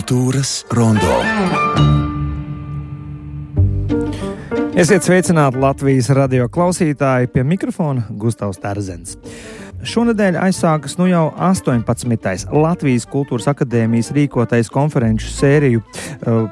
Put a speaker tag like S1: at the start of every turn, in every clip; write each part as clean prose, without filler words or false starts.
S1: Kultūras rondo.
S2: Esiet sveicināti Latvijas radio klausītāji, pie mikrofona Gustavs Terzens. Šonedēļ aizsākas jau 18. Latvijas Kultūras akadēmijas rīkotais konferenču sēriju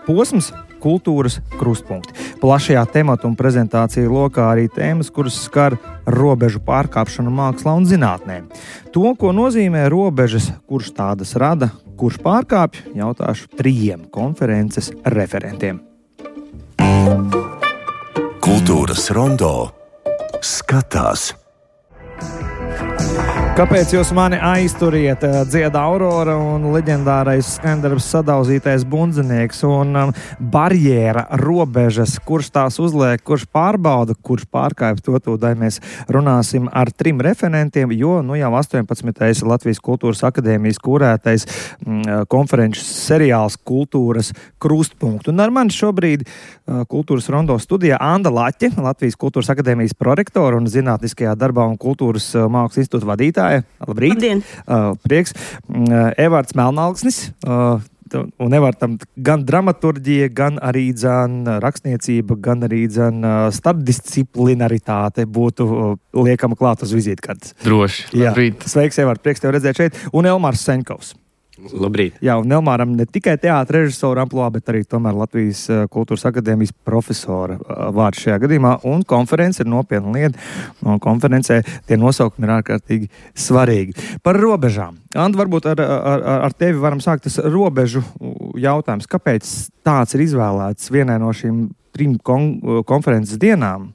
S2: posms Kultūras krustpunkti. Plašajā tematu un prezentāciju lokā arī tēmas, kuras skar robežu pārkāpšanu mākslā un zinātnē. To, ko nozīmē robežas, kurš tādas rada, kurš pārkāpj, jautāšu 3 konferences referentiem.
S1: Kultūras rondo skatās.
S2: Kāpēc jūs mani aizturiet? Dzieda Aurora un leģendārais skandarbs Sadauzītais bundzinieks un barjēra robežas, kurš tās uzliek, kurš pārbauda, kurš pārkāpj, to tūdaļ mēs runāsim ar 3 referentiem, jo jau 18. Latvijas Kultūras akadēmijas kurētais konferenču seriāls Kultūras krustpunkti. Un ar mani šobrīd Kultūras rondo studijā Anda Laķe, Latvijas Kultūras akadēmijas prorektora un zinātniskajā darbā un kultūras mākslas institūta vadītāja. Labrīt! Labdien! Prieks! Evarts Melnalksnis. Un Evartam gan dramaturģija, gan arī rakstniecība, gan arī starpdisciplinaritāte būtu liekama klāt uz vizītkartes.
S3: Droši. Labrīt!
S2: Sveiks, Evart! Prieks tev redzēt šeit. Un Elmārs Seņkovs.
S3: Labrīt!
S2: Jā, un Elmāram ne tikai teātra režisora amplua, bet arī tomēr Latvijas Kultūras akadēmijas profesora vārds šajā gadījumā. Un konference ir nopietna lieta. Un konferencē tie nosaukumi ir ārkārtīgi svarīgi. Par robežām. Anda, varbūt ar tevi varam sākt tas robežu jautājums. Kāpēc tāds ir izvēlēts vienai no šīm 3 konferences dienām?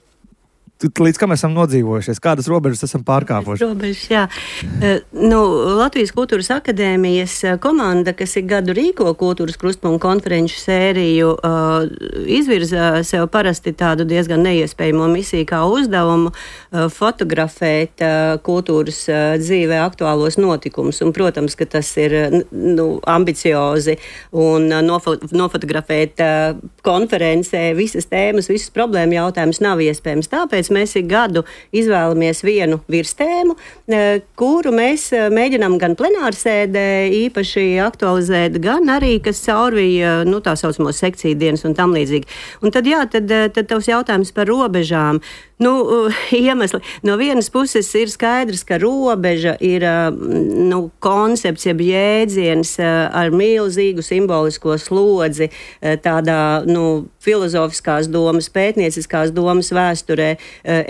S2: Līdz kam esam nodzīvojušies? Kādas robežas esam pārkāpuši?
S4: Robežas, jā. Latvijas Kultūras akadēmijas komanda, kas ik gadu rīko Kultūras krustpunktu konferenču sēriju, izvirza sev parasti tādu diezgan neiespējamo misiju kā uzdevumu fotografēt kultūras dzīvē aktuālos notikumus. Un, protams, ka tas ir ambiciozi un nofotografēt konferencē visas tēmas, visas problēma jautājumus nav iespējams. Tāpēc mēs ik gadu izvēlamies vienu virstēmu, kuru mēs mēģinām gan plenārsēdē īpaši aktualizēt, gan arī, kas caurvīja, tā saucamo sekciju dienas un tam līdzīgi. Un tad tavs jautājums par robežām. Iemesli. No vienas puses ir skaidrs, ka robeža ir koncepts, jeb jēdziens ar milzīgu simbolisko slodzi, tādā filozofiskās domas, pētnieciskās domas vēsturē,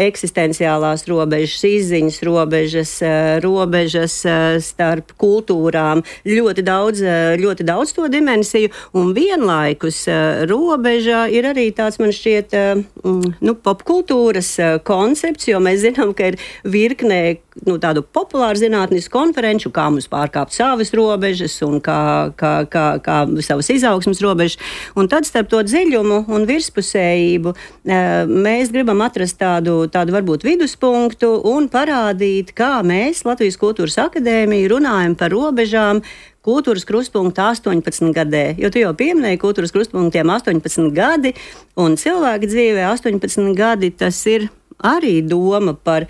S4: eksistenciālās robežas, izziņas robežas starp kultūrām, ļoti daudz to dimensiju, un vienlaikus robeža ir arī tāds, man šķiet, popkultūras koncepts, jo mēs zinām, ka ir virknē tādu populāru zinātnisku konferenču, kā mums pārkāpt savas robežas un kā savas izaugsmas robežas. Un tad starp to dziļumu un virspusējību mēs gribam atrast tādu varbūt viduspunktu un parādīt, kā mēs, Latvijas Kultūras akadēmija, runājam par robežām Kultūras krustpunkta 18 gadē, jo tu jau pieminēji Kultūras krustpunktiem 18 gadi, un cilvēka dzīvē 18 gadi tas ir arī doma par,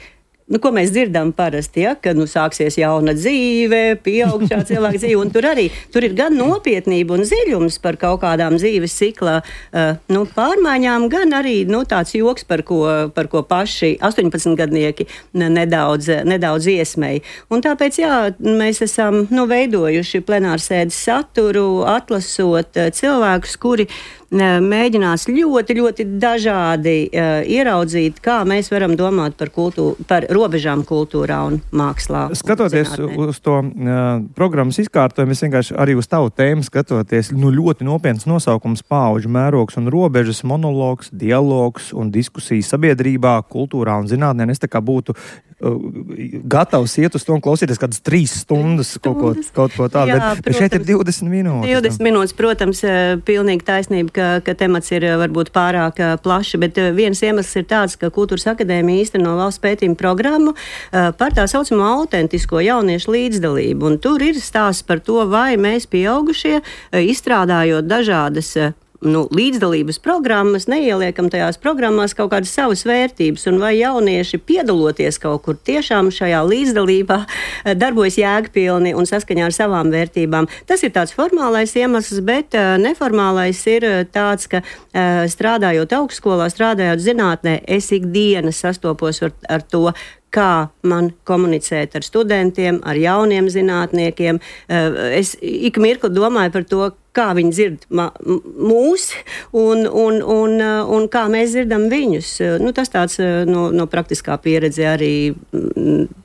S4: ko mēs dzirdam parasti, ka sāksies jauna dzīve, pieaugšā cilvēka dzīve, un tur ir gan nopietnība un dziļums par kaut kādām dzīves cikla pārmaiņām, gan arī tāds joks, par ko paši 18-gadnieki nedaudz iesmēja. Un tāpēc, mēs esam veidojuši plenārsēdes saturu, atlasot cilvēkus, kuri mēģinās ļoti, ļoti dažādi ieraudzīt, kā mēs varam domāt par robežām kultūrā un mākslā.
S2: Skatoties uz to programmas izkārtojumu, es vienkārši arī uz tavu tēmu skatoties, ļoti nopietns nosaukums Paudžu mērogs un robežas, monologs, dialogs un diskusijas sabiedrībā, kultūrā un zinātnē. Es tā kā būtu gatavs iet uz to un klausīties kādas 3 stundas kaut ko tādu, bet šeit ir 20 minūtes.
S4: 20 minūtes, protams, pilnīgi taisnība, ka temats ir varbūt pārāk plaši, bet viens iemesls ir tāds, ka Kultūras akadēmija īsteno valsts pētījuma programmu par tā saucamo autentisko jauniešu līdzdalību, un tur ir stāsts par to, vai mēs pieaugušie, izstrādājot dažādas līdzdalības programmas, neieliekam tajās programmās kaut kādas savas vērtības, un vai jaunieši piedaloties kaut kur tiešām šajā līdzdalībā darbojas jēgpilni un saskaņā ar savām vērtībām. Tas ir tāds formālais iemesls, bet neformālais ir tāds, ka strādājot augstskolā, strādājot zinātnē, es ikdienas sastopos ar to, kā man komunicēt ar studentiem, ar jauniem zinātniekiem. Es ik mirkli domāju par to, kā viņi dzird mūs un kā mēs dzirdam viņus. Tas tāds no praktiskā pieredze arī,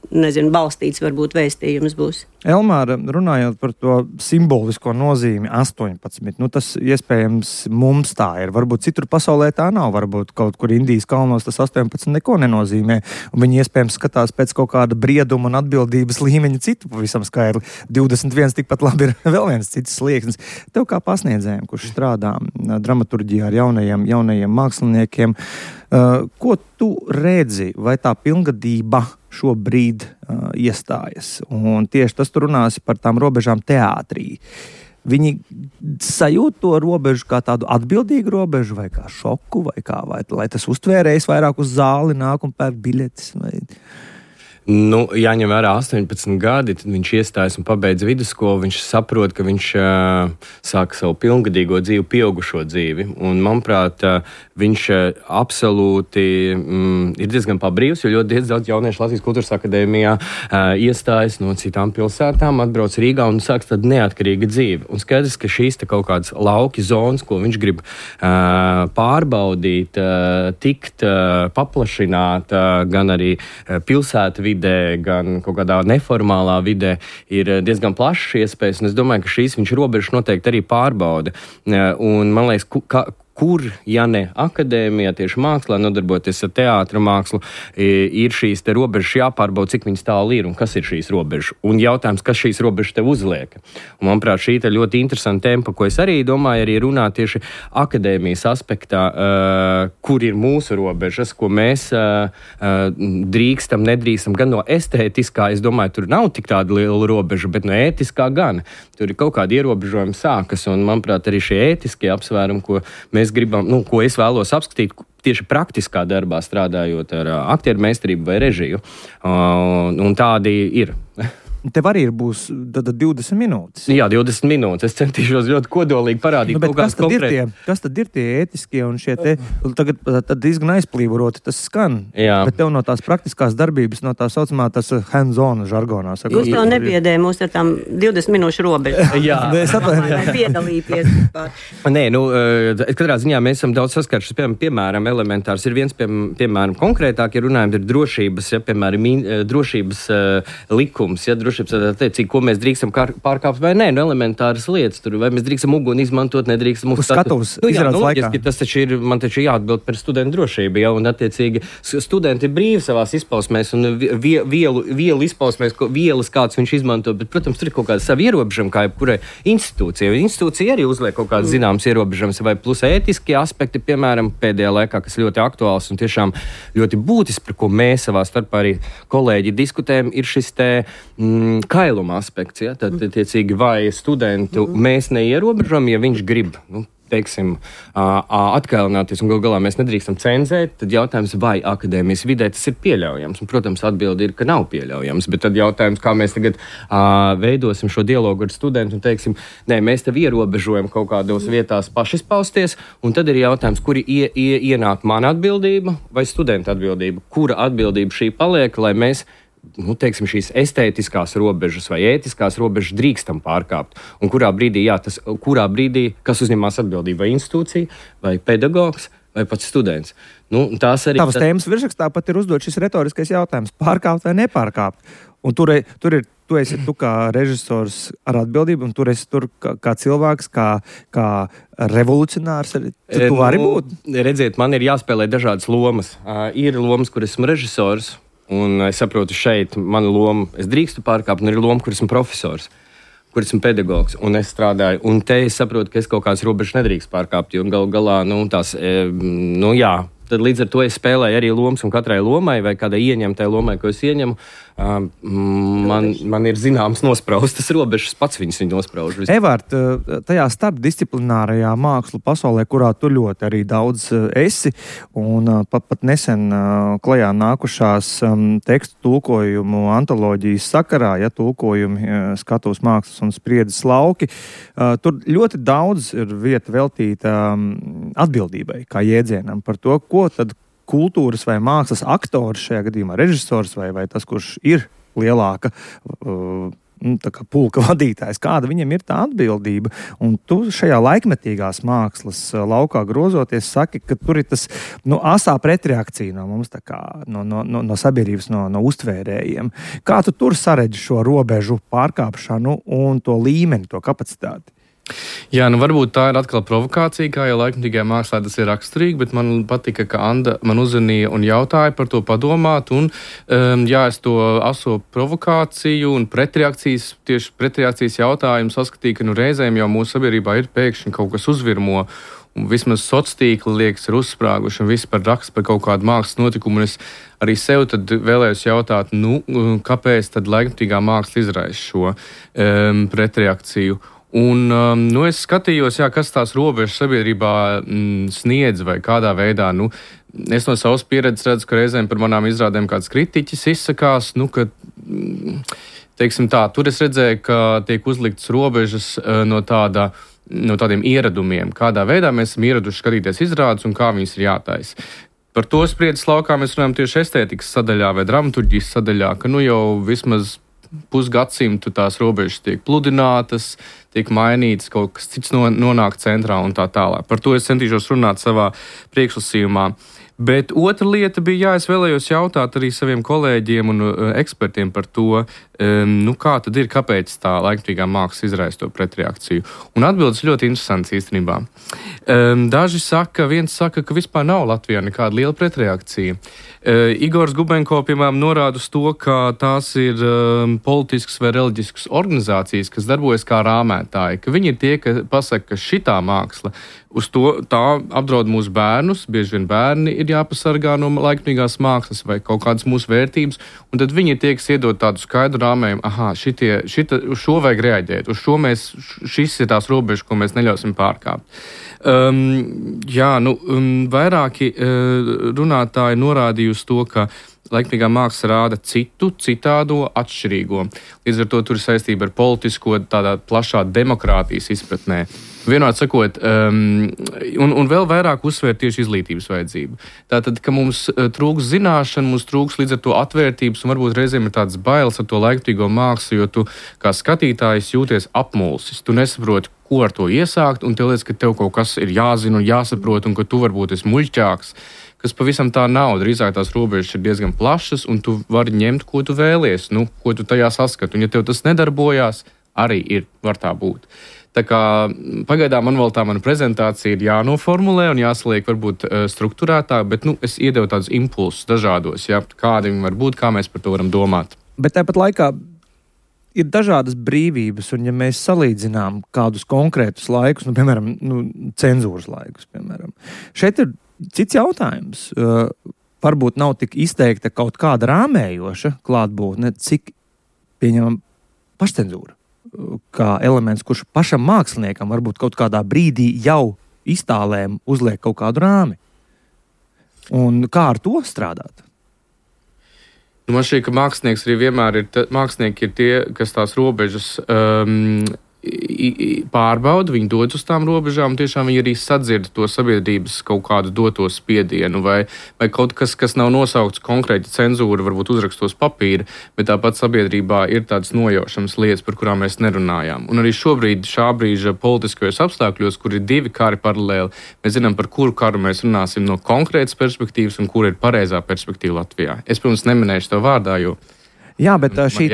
S4: balstīts varbūt vēstījums būs.
S2: Elmāra, runājot par to simbolisko nozīmi 18, tas iespējams mums tā ir. Varbūt citur pasaulē tā nav, varbūt kaut kur Indijas kalnos tas 18 neko nenozīmē, un viņi iespējams skatās pēc kaut kāda brieduma un atbildības līmeņa citu pavisam skaidri. 21 tikpat labi ir vēl viens cits slieksnis. Tev kā pasniedzējiem, kurš strādā dramaturģijā ar jaunajiem māksliniekiem, ko tu redzi, vai tā pilngadība šobrīd iestājas? Un tieši tas tu runāsi par tām robežām teātrī. Viņi sajūt to robežu kā tādu atbildīgu robežu, vai kā šoku, vai lai tas uztvērējs vairāk uz zāli nāk un pērk biļetes, vai...
S3: Jāņem vērā 18 gadi, tad viņš iestājas un pabeidz vidusskolu, viņš saprot, ka viņš sāk savu pilngadīgo dzīvi, pieaugušo dzīvi. Un, manuprāt, viņš absolūti ir diezgan pabrīvs, jo ļoti daudz jauniešu Latvijas Kultūras akadēmijā iestājas no citām pilsētām, atbrauc Rīgā un sāks tādu neatkarīgu dzīvi. Un skaidrs, ka šīs kaut kādas lauki zonas, ko viņš grib pārbaudīt, tikt, paplašināt, gan arī pilsētu vidē, gan kaut kādā neformālā vidē ir diezgan plašas iespējas, un es domāju, ka šīs viņš robežas noteikti arī pārbauda. Un man liekas, kur, ja ne akadēmijā, tieši mākslā, nodarboties ar teātra mākslu, ir šīs te robežas jāpārbauda, cik viņas tālu ir un kas ir šīs robežas. Un jautājums, kas šīs robežas tev uzliek. Un, manuprāt, šī ir ļoti interesanta tempa, ko es arī domāju, arī runāt tieši akadēmijas aspektā, kur ir mūsu robežas, ko mēs drīkstam, nedrīkstam, gan no estētiskā, es domāju, tur nav tik tāda liela robeža, bet no ētiskā gan. Tur ir kaut kādi ierobežojumi sākas, un, manuprāt, arī šie ētiskie apsvērumi, ko mēs gribam, ko es vēlos apskatīt tieši praktiskā darbā, strādājot ar aktieru meistarību vai režiju. Un tādi ir.
S2: Tev arī būs 20 minūtes.
S3: Jā, 20 minūtes. Es centīšos ļoti kodolīgi parādīt kaut kādas konkrētas.
S2: Kas tad ir tie ētiskie un šie te, tad diezgan aizplīvoroti tas skan. Jā. Bet tev no tās praktiskās darbības, no tā saucamā tas hands-on žargonā.
S4: Jūs jau nebiedē mūs ar tām 20 minūšu robežu.
S3: Jā.
S4: Vai piedalīties.
S3: Nē, katrā ziņā mēs esam daudz saskārušies, piemēram, elementārs ir viens, piemēram, konkrētāk, ja runājam, ir drošības, piemēram, drošības likums, drošības, ko mēs drīkstam pārkāpt vai nē, elementāras lietas, vai mēs drīkstam uguni izmantot, nedrīkstam
S2: uzskatīt.
S3: Tas taču ir, man taču jāatbild par studentu drošību, ja, un attiecīgi studenti ir brīvi savās izpausmēs un vielu izpausmēs, vielas kāds viņš izmanto, bet, protams, tur ir kaut kāda savi ierobežojumi, kā jebkurai institūcijai. Institūcija arī uzliek kaut kādas zināmas ierobežojumus, vai plus ētiskie aspekti, piemēram, pēdējā laikā, kas ļoti aktuāls un tiešām ļoti būtisks, par ko mēs savā starpā arī kolēģi diskutējam, ir šis te kailuma aspekts, ja? Tad, tiecīgi, vai studentu mēs neierobežam, ja viņš grib, teiksim, atkailināties, un galā mēs nedrīkstam cenzēt, tad jautājums, vai akadēmijas vidē tas ir pieļaujams. Un, protams, atbildi ir, ka nav pieļaujams, bet tad jautājums, kā mēs tagad veidosim šo dialogu ar studentu un teiksim, nē, mēs tev ierobežojam kaut kādos vietās pašizpausties, un tad ir jautājums, kuri ienāk mana atbildība vai studenta atbildība, kura atbildība šī paliek, lai mēs teiksim, šīs estētiskās robežas vai ētiskās robežas drīkstam pārkāpt. Un kurā brīdī, kas uzņemās atbildību, vai institūcija, vai pedagogs, vai pats students. Tās arī...
S2: Tavas tēmas virsrakstā pat ir uzdot šis retoriskais jautājums – pārkāpt vai nepārkāpt? Un tu esi kā režisors ar atbildību, un tur esi kā cilvēks, kā revolucionārs. Tu vari būt?
S3: Redziet, man ir jāspēlē dažādas lomas. Ir lomas, kur esmu režisors, un es saprotu, šeit mana loma, es drīkstu pārkāpt, un ir loma, kur esmu profesors, kur esmu pedagogs, un es strādāju. Un te es saprotu, ka es kaut kādas robežas nedrīkst pārkāpt, jo galā, tad līdz ar to es spēlēju arī lomas, un katrai lomai vai kādai ieņemtai lomai, ko es ieņemu, Man ir zināms nospraustas robežas, pats viņas nosprauž.
S2: Evart, tajā starpdisciplinārajā mākslu pasaulē, kurā tu ļoti arī daudz esi, un pat nesen klajā nākušās tekstu tulkojumu antoloģijas sakarā, tulkojumi skatuves mākslas un spriedzes lauki, tur ļoti daudz ir vieta veltīta atbildībai, kā jēdzienam par to, ko tad kultūras vai mākslas aktors, šajā gadījumā režisors vai tas, kurš ir lielāka tā kā pulka vadītājs, kāda viņam ir tā atbildība. Un tu šajā laikmetīgās mākslas laukā grozoties saki, ka tur ir tas asā pretreakcija no mums, tā kā no sabiedrības, no uztvērējiem. Kā tu tur saredzi šo robežu pārkāpšanu un to līmeni, to kapacitāti?
S5: Jā, varbūt tā ir atkal provokācija, kā jau laikmatīgajā mākslā tas ir raksturīgi, bet man patika, ka Anda man uzvanīja un jautāja par to padomāt, un es to aso provokāciju un tieši pretreakcijas jautājumu saskatīju, ka reizēm jau mūsu sabiedrībā ir pēkšņi kaut kas uzvirmo, un vismaz sociālā tīkla liekas ir uzsprāguši, un viss par rakstu par kaut kādu mākslas notikumu, un es arī sev tad vēlējos jautāt, kāpēc tad laikmatīgā māksla izraisa šo pretreakciju. Un es skatījos, kas tās robežas sabiedrībā sniedz vai kādā veidā. Es no savas pieredzes redzu, ka reizēm par manām izrādēm kāds kritiķis izsakās, ka, teiksim tā, tur es redzēju, ka tiek uzliktas robežas no tādiem ieradumiem, kādā veidā mēs esam ieraduši skatīties izrādes un kā viņas ir jātaisa. Par to spriedzes laukā mēs runājam tieši estētikas sadaļā vai dramaturģijas sadaļā, ka jau vismaz pusgadsimtu tās robežas tiek pludinātas, tiek mainītas, kaut kas cits nonāk centrā un tā tālāk. Par to es centīšos runāt savā priekšlasījumā. Bet otra lieta bija, es vēlējos jautāt arī saviem kolēģiem un ekspertiem par to, kā tad ir, kāpēc tā laikmatīgā māksla izraisa to pretreakciju. Un atbildes ļoti interesants īstenībā. Daži viens saka, ka vispār nav Latvijā nekāda liela pretreakcija. Igors Gubenko, piemēram, norāda uz to, ka tās ir politiskas vai reliģiskas organizācijas, kas darbojas kā rāmētāji, ka viņi ir tie, kas pasaka, ka šitā māksla uz to tā apdraud mūsu bērnus, bieži vien bērni ir jāpasargā no laikmatīgās mākslas vai kaut kādas mūsu vērtības, un tad viņi ir tie, kas iedod tādu skaidru rāmējumu, uz šo vajag reaģēt, šis ir tās robežas, ko mēs neļausim pārkāpt. Vairāki runātāji norādīja uz to, ka laikmatīgā māksla rāda citādo, atšķirīgo. Līdz ar to tur ir saistība ar politisko, tādā plašā demokrātijas izpratnē. Vienot sakot, un vēl vairāk uzsver tieši izglītības vajadzību. Tātad, ka mums trūks zināšana, mums trūks līdz ar to atvērtības, un varbūt reizēm ir tāds bailes ar to laikmatīgo mākslu, jo tu kā skatītājs jūties apmulsis. Tu nesaproti, ko ar to iesākt, un tev liekas, ka tev kaut kas ir jāzina un jāsaprot, un ka tu varbūt esi muļķāks, kas pavisam tā nav. Drīzāk tās robežas ir diezgan plašas, un tu vari ņemt, ko tu vēlies, ko tu tajā saskati. Un ja tev tas nedarbojās, arī var tā būt. Tā kā pagaidām mana prezentācija ir jānoformulē un jāsaliek varbūt strukturētāk, bet es iedevu tādus impulsus dažādos, kādi viņi var būt, kā mēs par to varam domāt.
S2: Bet tāpat laikā ir dažādas brīvības, un ja mēs salīdzinām kādus konkrētus laikus, piemēram, cenzūras laikus, piemēram, šeit ir cits jautājums. Varbūt nav tik izteikta kaut kāda rāmējoša klātbūtne, cik pieņemam pašcenzūra. Kā elements, kurš pašam māksliniekam varbūt kaut kādā brīdī jau iztālēm uzliek kaut kādu rāmi. Un kā ar to strādāt?
S5: Man šķiet, ka mākslinieks arī vienmēr mākslinieki ir tie, kas tās robežas pārbauda, viņi dodas uz tām robežām, un tiešām viņi arī sadzird to sabiedrības kaut kādu doto spiedienu, vai kaut kas nav nosaukts konkrēti cenzūra, varbūt uzrakstos papīra, bet tāpat sabiedrībā ir tādas nojaušamas lietas, par kurām mēs nerunājām. Un arī šobrīd, šā brīža politiskajos apstākļos, kur ir divi kari paralēli, mēs zinām, par kuru karu mēs runāsim no konkrētas perspektīvas un kur ir pareizā perspektīva Latvijā. Es, protams, neminēšu tev vārdā, jo
S2: Jā, bet šī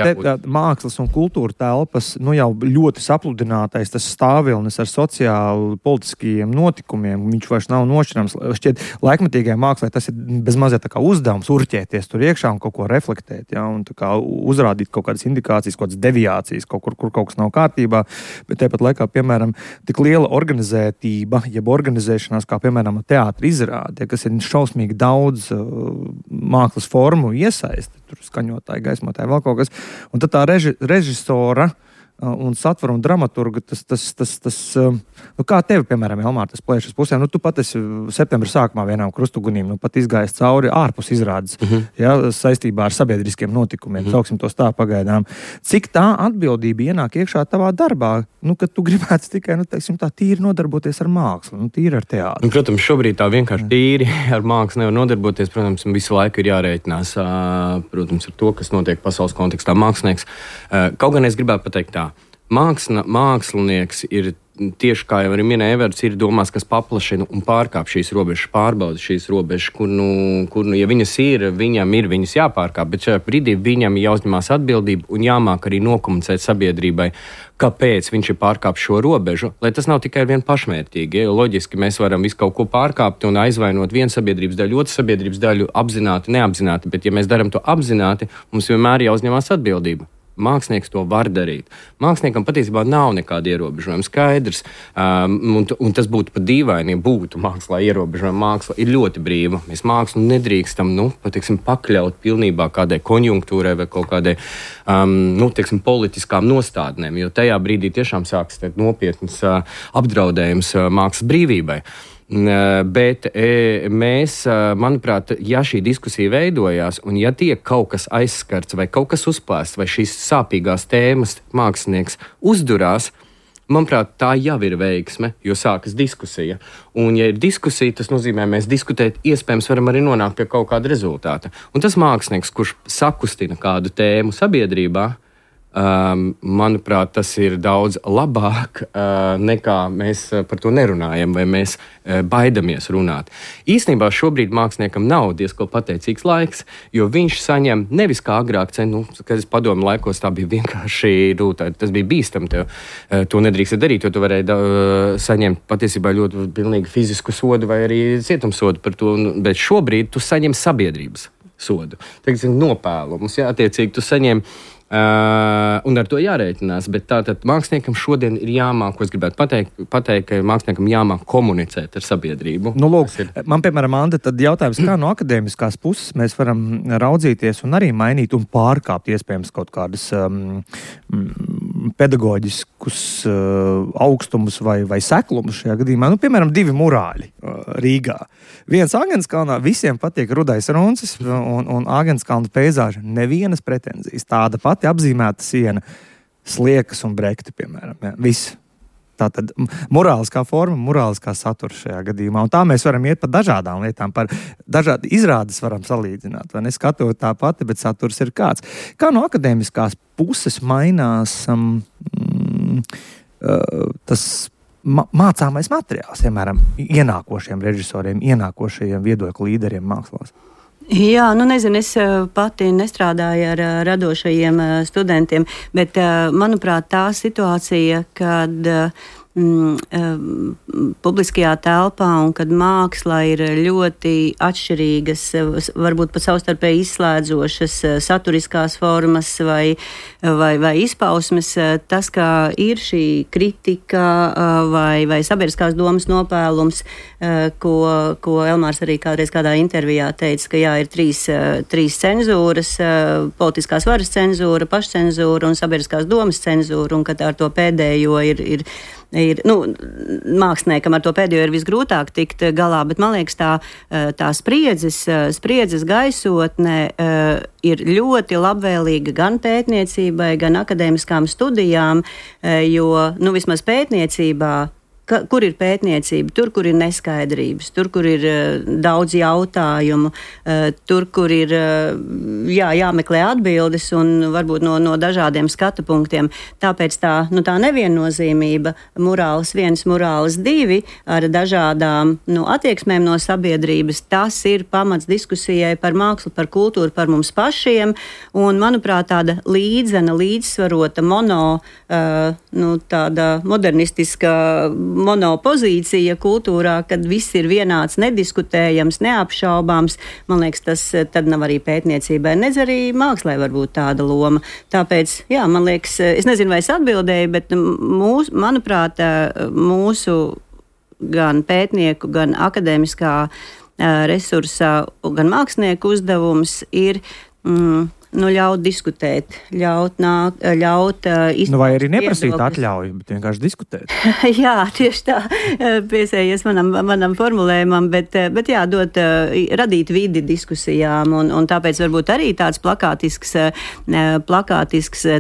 S2: mākslas un kultūra telpas jau ļoti sapludinātais tas stāvvilnis ar sociāli politiskajiem notikumiem, viņš vairs nav nošķirams. Šķiet, laikmatīgajai mākslai tas ir bezmazliet tā kā uzdevums urķēties tur iekšā un kaut ko reflektēt, un tā kā uzrādīt kaut kādas indikācijas, kaut kādas deviācijas, kur kaut kas nav kārtībā, bet tāpat laikā, piemēram, tik liela organizētība, jeb organizēšanās, kā piemēram teātra izrāde, kas ir šausmīgi daudz mākslas formu iesaisti, tur skaņotāji, gaismotāji, iztēlotāji, vēl kaut kas. Un tad tā režisora un satvara un dramaturga, tas kā tevi, piemēram, Elmār, tas plēšas pusēm, tu pat esi septembra sākumā vienām krustugunīm, pat izgājis cauri ārpus izrādes, saistībā ar sabiedriskiem notikumiem, sauksim tos tā pagaidām. Cik tā atbildība ienāk iekšā tavā darbā, kad tu gribētu tikai, tā tīri nodarboties ar mākslu, tīri ar teātru?
S3: Protams, šobrīd tā vienkārši tīri ar mākslu nevar nodarboties, protams, visu laiku ir jārēķinās, protams, ar to, kas notiek pasaules kontekstā mākslinieks. Kaut gan es gribētu pateikt tā, mākslinieks ir tieši kā jau arī minēja Everts, ir domās, kas paplašina un pārkāp šīs robežas, pārbauda šīs robežas, kur, ja viņas ir, viņam ir viņas jāpārkāp, bet šajā brīdī viņam jāuzņemās atbildība un jāmāk arī nokomunicēt sabiedrībai, kāpēc viņš ir pārkāpis šo robežu, lai tas nav tikai vien pašmērķīgi. Jo loģiski mēs varam visu kaut ko pārkāpt un aizvainot vienu sabiedrības daļu, otru sabiedrības daļu, apzināti, neapzināti, bet ja mēs darām to apzināti, mums vienmēr jāuzņemās atbildība. Mākslinieks to var darīt. Māksliniekam patiesībā nav nekāda ierobežojuma. Skaidrs, un tas būtu pat dīvaini, ja būtu mākslā ierobežojuma. Māksla ir ļoti brīva. Mēs mākslu nedrīkstam, pakļaut pilnībā kādai konjunktūrai vai kaut kādai, politiskām nostādnēm, jo tajā brīdī tiešām sāks nopietnas apdraudējums mākslas brīvībai. Bet mēs, manuprāt, ja šī diskusija veidojās un ja tiek kaut kas aizskarts vai kaut kas uzplēsts vai šīs sāpīgās tēmas mākslinieks uzdurās, manuprāt, tā jau ir veiksme, jo sākas diskusija. Un, ja ir diskusija, tas nozīmē, mēs diskutēt, iespējams, varam arī nonākt pie kaut kāda rezultāta. Un tas mākslinieks, kurš sakustina kādu tēmu sabiedrībā, manuprāt, tas ir daudz labāk nekā mēs par to nerunājam vai mēs baidamies runāt. Īstenībā šobrīd māksliniekam nav diezko pateicīgs laiks, jo viņš saņem nevis kā agrāk, kad es padomu laikos, tā bija vienkārši, tas bija bīstam, to nedrīkst darīt, jo tu varēji saņemt patiesībā ļoti pilnīgi fizisku sodu vai arī cietumsodu par to, bet šobrīd tu saņem sabiedrības sodu. Teiksim, nopēlumus, attiecīgi tu saņem un ar to jārēķinās, bet tātad māksliniekam šodien ir jāmāk, ko es gribētu pateikt, ka māksliniekam jāmāk komunicēt ar sabiedrību.
S2: Lūk, man, piemēram, Anda, tad jautājums, kā no akadēmiskās puses mēs varam raudzīties un arī mainīt un pārkāpt iespējams kaut kādas pedagoģiskus augstumus vai seklumus šajā gadījumā. Piemēram, 2 murāļi Rīgā. Viens Āgenskalnā, visiem patīk Rudais Runcis un Āgenskalna peizāža. Nevienas pretenzijas. Tāda pati apzīmēta siena, sliekas un brekti, piemēram. Ja, viss. Tātad morāliskā forma, morāliskā satura šajā gadījumā. Un tā mēs varam iet par dažādām lietām, par dažādi izrādes varam salīdzināt. Vai ne? Skatot tā pati, bet saturs ir kāds. Kā no akadēmiskās puses mainās tas mācāmais materiāls, piemēram, ienākošiem režisoriem, ienākošajiem viedokļu līderiem mākslās?
S4: Jā, nezinu, es pati nestrādāju ar radošajiem studentiem, bet, manuprāt, tā situācija, kad publiskajā telpā un kad māksla ir ļoti atšķirīgas, varbūt pat savstarpēji izslēdzošas saturiskās formas vai izpausmes, tas, kā ir šī kritika vai sabiedriskās domas nopēlums, ko Elmārs arī kādreiz kādā intervijā teica, ka jā, ir trīs cenzūras, politiskās varas cenzūra, pašcenzūra un sabiedriskās domas cenzūra, un ka ar to pēdējo ir māksliniekam ar to pēdējo ir visgrūtāk tikt galā, bet man liekas tā spriedzes gaisotne ir ļoti labvēlīga gan pētniecībai, gan akadēmiskām studijām, jo, vismaz pētniecībā, kur ir pētniecība, tur, kur ir neskaidrības, tur, kur ir daudz jautājumu, tur, kur ir jāmeklē atbildes un varbūt no dažādiem skatu punktiem. Tāpēc tā neviennozīmība, morāls 1, morāls 2 ar dažādām attieksmēm no sabiedrības, tas ir pamats diskusijai par mākslu, par kultūru, par mums pašiem, un, manuprāt, tāda līdzsvarota tāda modernistiska monopozīcija kultūrā, kad viss ir vienāds, nediskutējams, neapšaubāms. Man liekas, tas tad nav arī pētniecībai, nedz arī mākslē var būt tāda loma. Tāpēc, jā, man liekas, es nezinu, vai es atbildēju, bet manuprāt, mūsu gan pētnieku, gan akadēmiskā resursa, gan mākslinieku uzdevums ir ļaut diskutēt, ļaut izpaust
S2: Vai arī neprasīt
S4: viedokļus.
S2: atļauju, bet vienkārši diskutēt.
S4: Jā, tieši tā piesējies manam formulējumam, bet jā, radīt vidi diskusijām, un tāpēc varbūt arī tāds plakātisks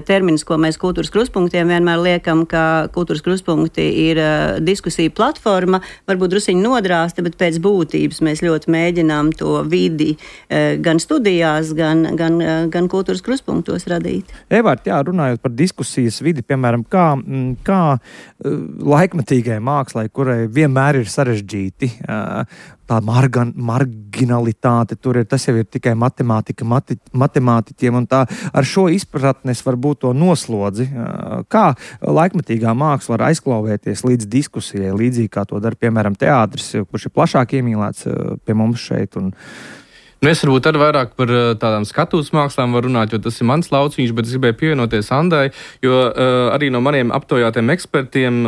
S4: termins, ko mēs kultūras kruspunktiem vienmēr liekam, ka kultūras kruspunkti ir diskusija platforma, varbūt drusiņi nodrāsta, bet pēc būtības mēs ļoti mēģinām to vidi gan studijās, gan kultūras kruspunktos radīt.
S2: Evart, jā, runājot par diskusijas vidi, piemēram, kā laikmetīgai mākslai, kurai vienmēr ir sarežģīti, tā marginalitāte tur ir, tas jau ir tikai matemātika, matemātiķiem, un tā ar šo izpratnes varbūt to noslodzi. Kā laikmetīgā māksla var aizklauvēties līdz diskusijai, līdzīgi kā to dara, piemēram, teātris, kurš ir plašāk iemīlēts pie mums šeit, un
S5: Es varbūt arī vairāk par tādām skatuves mākslām varu runāt, jo tas ir mans lauciņš, bet es gribēju pievienoties Andai, jo arī no maniem aptaujātiem ekspertiem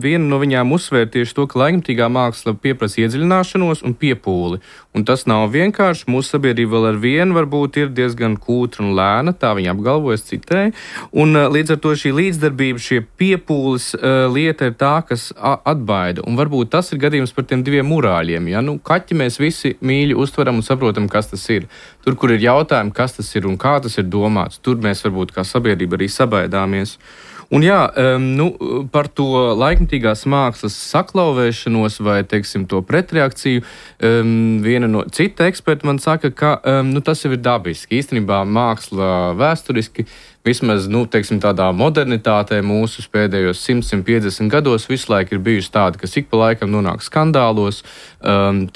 S5: viena no viņām uzsvēr tieši to, ka laikmetīgā māksla pieprasa iedziļināšanos un piepūli. Un tas nav vienkārši. Mūsu sabiedrība vēl ar vienu varbūt ir diezgan kūtra un lēna, tā viņa apgalvojas citēji. Un līdz ar to šī līdzdarbība, šie piepūles lieta ir tā, kas atbaida. Un varbūt tas ir gadījums par tiem diviem murāļiem. Ja? Kaķi mēs visi mīļi uztveram un saprotam, kas tas ir. Tur, kur ir jautājumi, kas tas ir un kā tas ir domāts, tur mēs varbūt kā sabiedrība arī sabaidāmies. Un jā, par to laikmetīgās mākslas saklauvēšanos vai, teiksim, to pretreakciju, viena no cita eksperta man saka, ka tas jau ir dabiski. Īstenībā māksla vēsturiski, vismaz, teiksim, tādā modernitātē mūsu pēdējos 100-150 gados visu laiku ir bijusi tāda, kas ik pa laikam nonāk skandālos,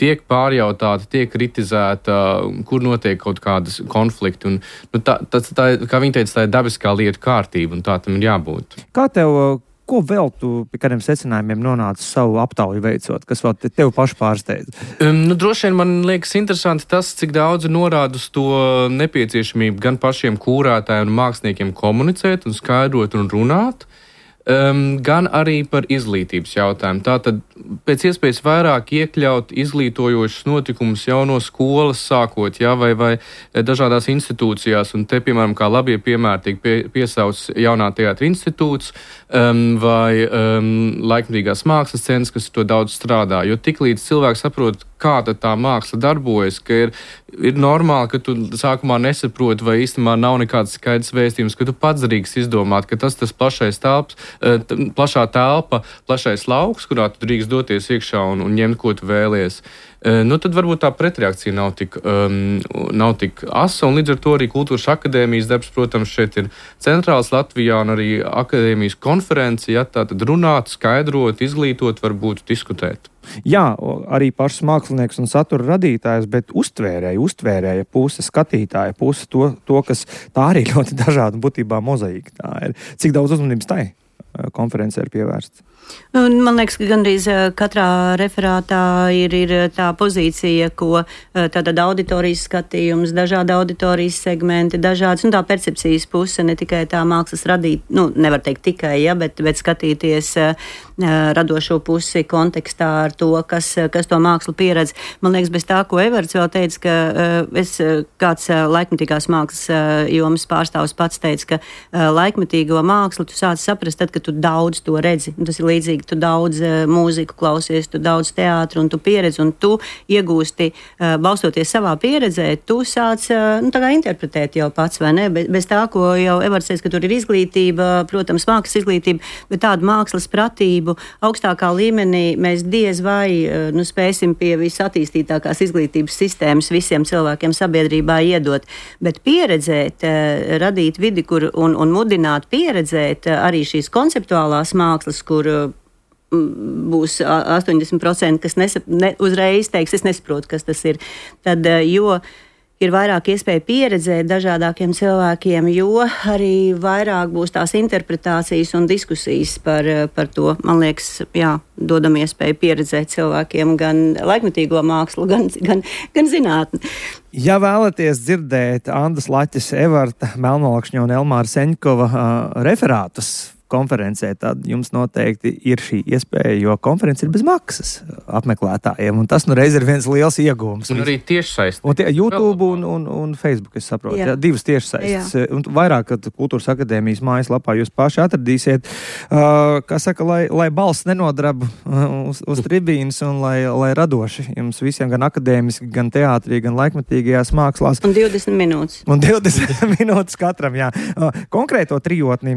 S5: tiek pārjautāta, tiek kritizēta, kur notiek kaut kādas konflikti. Un, tā, kā viņi teica, tā ir dabiskā lietu kārtība, un tā tam ir jābūt.
S2: Kā ko vēl tu pie kādiem secinājumiem nonāci savu aptauju veicot, kas vēl tev pašu pārsteidz?
S5: Droši vien man liekas interesanti tas, cik daudz norāda uz to nepieciešamību gan pašiem kūrētājiem un māksliniekiem komunicēt un skaidrot un runāt, gan arī par izglītības jautājumu. Tātad pēc iespējas vairāk iekļaut izglītojošus notikumus jau no skolas sākot, ja, vai dažādās institūcijās, un te, piemēram, kā labie piemēri tiek piesauts Jaunā teātra institūts vai laikmetīgās mākslas centrs, kas to daudz strādā, jo tiklīdz cilvēks saprot, kā tā māksla darbojas, ka ir normāli, ka tu sākumā nesaproti vai īstenībā nav nekāds skaidrs vēstījums, ka tu pats drīkst izdomāt, ka tas plašā telpa, plašais lauks, kurā tu drīkst doties iekšā un ņemt, ko tu vēlies. Tad varbūt tā pretreakcija nav tik asa, un līdz ar to arī Kultūras akadēmijas darbs, protams, šeit ir centrāls Latvijā, un arī akadēmijas konferenci, ja, tātad runāt, skaidrot, izglītot, varbūt diskutēt.
S2: Jā, arī pašs mākslinieks un satura radītājs, bet uztvērēja puse, skatītāja puse, to, kas tā arī ļoti dažāda būtībā mozaīka tā ir. Cik daudz uzmanības tai konferencē ir pievērsts?
S4: Man liekas, ka gandrīz katrā referātā ir tā pozīcija, ko tātad auditorijas skatījums, dažādi auditorijas segmenti, dažādas, un tā percepcijas puse, ne tikai tā mākslas radīt, nevar teikt tikai, ja, bet skatīties radošo pusi kontekstā ar to, kas to mākslu pieredz. Man liekas, bez tā, ko Everts vēl teica, ka kāds laikmetīgās mākslas jomas pārstāvs pats teica, ka laikmetīgo mākslu tu sāc saprast tad, kad tu daudz to redzi. Tas ir līdzīgi, tu daudz mūziku klausies, tu daudz teātru un tu pieredzi, un tu iegūsti, balstoties savā pieredzē, tu sāc tā kā interpretēt jau pats, vai ne? Bez tā, ko jau Everts teica, ka tur ir izglītība, protams, mākslas izglītība, bet tādu mākslas pratību augstākā līmenī mēs diez vai spēsim pie visattīstītākās izglītības sistēmas visiem cilvēkiem sabiedrībā iedot, bet pieredzēt, radīt vidi, kur un mudināt pieredzēt arī šīs konceptuālās mākslas, kur būs 80%, kas uzreiz teiks, es nesaprotu, kas tas ir. Tad, jo ir vairāk iespēja pieredzēt dažādākiem cilvēkiem, jo arī vairāk būs tās interpretācijas un diskusijas par to. Man liekas, jā, dodam iespēju pieredzēt cilvēkiem gan laikmetīgo mākslu, gan zinātni.
S2: Ja vēlaties dzirdēt Andas Laķes, Everta Melnolakšņa un Elmāra Seņkova referātus konferencē, tad jums noteikti ir šī iespēja, jo konference ir bez maksas apmeklētājiem, un tas nu reiz ir viens liels iegūms.
S5: Un arī tiešsaistes.
S2: Un YouTube un Facebook, es saprotu. Jā, divas tiešsaistes. Un vairāk, kad Kultūras akadēmijas mājaslapā jūs paši atradīsiet, kā saka, lai balss nenodrab uz tribīnas un lai radoši jums visiem gan akadēmiski, gan teātrī, gan laikmetīgajās mākslās.
S4: Un 20 minūtes.
S2: Un 20 minūtes katram, jā. Konkrēto trijotni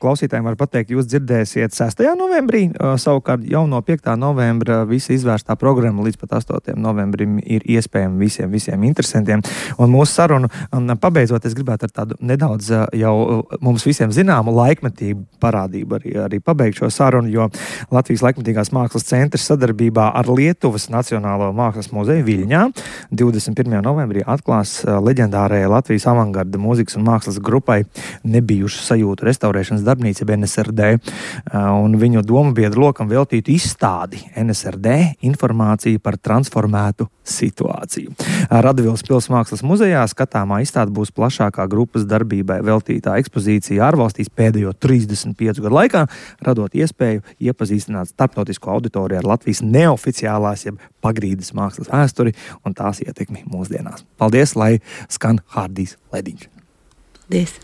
S2: klausītājiem var pateikt, jūs dzirdēsiet 6. novembrī, savukārt jau no 5. novembra visa izvērstā programma līdz pat 8. novembrim ir iespējama visiem interesantiem. Un mūsu sarunu pabeidzot, es gribētu ar tādu nedaudz jau mums visiem zināmu laikmetību parādību arī pabeigt šo sarunu, jo Latvijas laikmetīgās mākslas centrs sadarbībā ar Lietuvas Nacionālo mākslas muzeju Viļņā 21. novembrī atklās leģendārajai Latvijas avangarda mūzikas un mākslas grupai Nebijušu sajūtu restaurēšanas darbnīca NSRD, un viņu domu biedru lokam veltītu izstādi NSRD informācija par transformētu situāciju. Radvilas pils mākslas muzejā skatāmā izstāde būs plašākā grupas darbībai veltītā ekspozīcija ārvalstīs pēdējo 35 gadu laikā, radot iespēju iepazīstināt starptautisko auditoriju ar Latvijas neoficiālās jeb pagrīdes mākslas vēsturi un tās ietekmi mūsdienās. Paldies, lai skan Hārdijs Lediņš.
S4: Paldies!